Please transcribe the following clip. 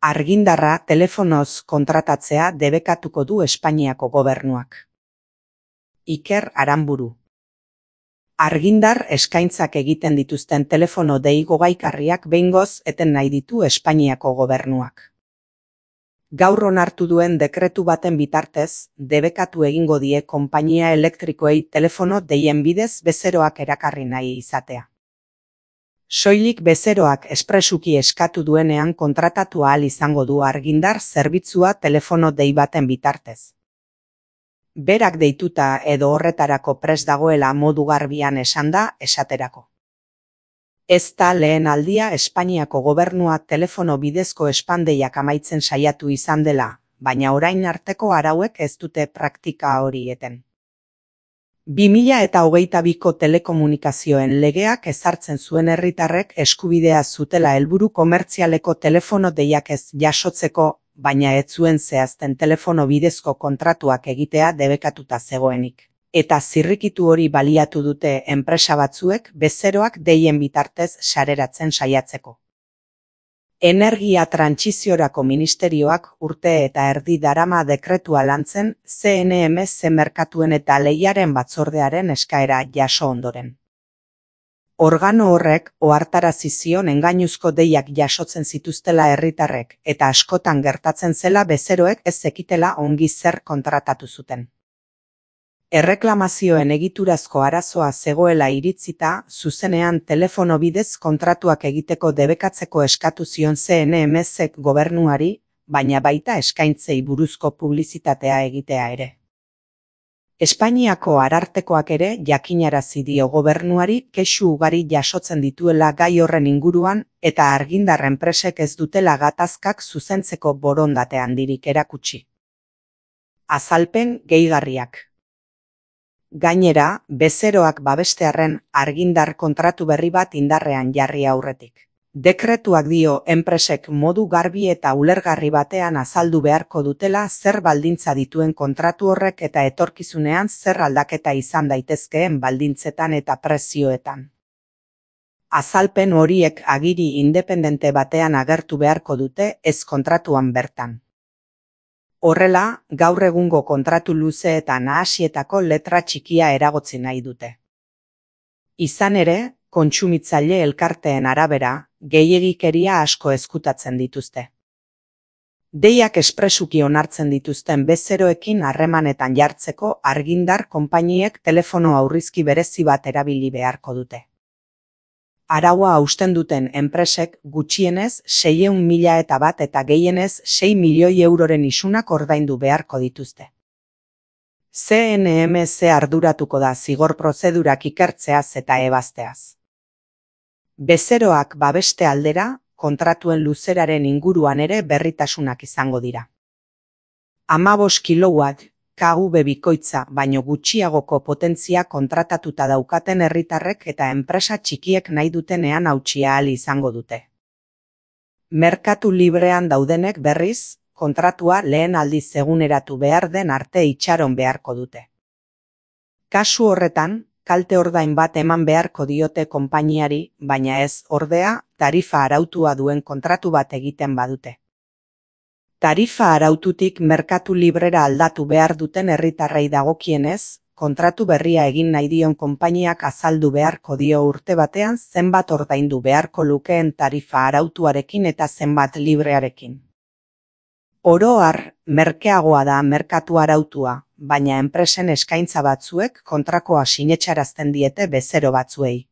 Argindarra telefonoz kontratatzea debekatuko du Espainiako gobernuak. Iker Aranburu. Argindar eskaintzak egiten dituzten telefono deigo gaikarriak behingoz eten nahi ditu Espainiako gobernuak. Gaur onartu duen dekretu baten bitartez, debekatu egingo die konpainia elektrikoei telefono deien bidez bezeroak erakarri nahi izatea. Soilik bezeroak espresuki eskatu duenean kontratatu ahal izango du Argindar zerbitzua telefono dei baten bitartez. Berak deituta edo horretarako prest dagoela modu garbian esanda esaterako. Ez da lehen aldia Espainiako gobernua telefono bidezko espandeiak amaitzen saiatu izan dela, baina orain arteko arauek ez dute praktika hori eten. 2022ko telekomunikazioen legeak ezartzen zuen herritarrek eskubidea zutela helburu komertzialeko telefono deiak ez jasotzeko, baina ez zuen zehazten telefono bidezko kontratuak egitea debekatuta zegoenik. Eta zirrikitu hori baliatu dute enpresa batzuek bezeroak deien bitartez sareratzen saiatzeko. Energia Trantsiziorako Ministerioak urte eta erdi darama dekretua lantzen CNMC merkatuen eta lehiaren batzordearen eskaera jaso ondoren. Organo horrek ohartarazi zion engainuzko deiak jasotzen zituztela herritarrek eta askotan gertatzen zela bezeroek ez zekitela ongi zer kontratatu zuten. Erreklamazioen egiturazko arazoa zegoela iritzita, zuzenean telefono bidez kontratuak egiteko debekatzeko eskatu zion CNMCek gobernuari, baina baita eskaintzei buruzko publizitatea egitea ere. Espainiako arartekoak ere jakinarazi dio gobernuari kexu ugari jasotzen dituela gai horren inguruan eta Argindar enpresek ez dutela gatazkak zuzentzeko borondate handirik erakutsi. Azalpen gehigarriak. Gainera, bezeroak babestearren Argindar kontratu berri bat indarrean jarri aurretik. Dekretuak dio enpresek modu garbi eta ulergarri batean azaldu beharko dutela zer baldintza dituen kontratu horrek eta etorkizunean zer aldaketa izan daitezkeen baldintzetan eta prezioetan. Azalpen horiek agiri independente batean agertu beharko dute ez kontratuan bertan. Horrela, gaur egungo kontratu luze eta nahasietako letra txikia eragotzi nahi dute. Izan ere, kontsumitzaile elkarteen arabera, gehiegikeria asko ezkutatzen dituzte. Deiak espresuki onartzen dituzten bezeroekin harremanetan jartzeko Argindar konpainiek telefono aurrizki berezi bat erabili beharko dute. Araua hausten duten enpresek gutxienez 600.000 eta gehienez 6 milioi euroren isunak ordaindu beharko dituzte. CNMC arduratuko da zigor prozedurak ikertzeaz eta ebazteaz. Bezeroak babeste aldera, kontratuen luzeraren inguruan ere berritasunak izango dira. 15 kilowatt KV bikoitza baino gutxiagoko potentzia kontratatuta daukaten herritarrek eta enpresa txikiek nahi dutenean hautsi ahal izango dute. Merkatu librean daudenek berriz, kontratua lehen aldiz eguneratu behar den arte itxaron beharko dute. Kasu horretan, kalte ordain bat eman beharko diote konpainiari, baina ez, ordea, tarifa arautua duen kontratu bat egiten badute. Tarifa araututik merkatu librera aldatu behar duten herritarrei dagokienez, kontratu berria egin nahi dion konpainiak azaldu beharko dio urte batean zenbat ordaindu beharko lukeen tarifa arautuarekin eta zenbat librearekin. Oro har, merkeagoa da merkatu arautua, baina enpresen eskaintza batzuek kontrakoa sinetsarazten diete bezero batzuei.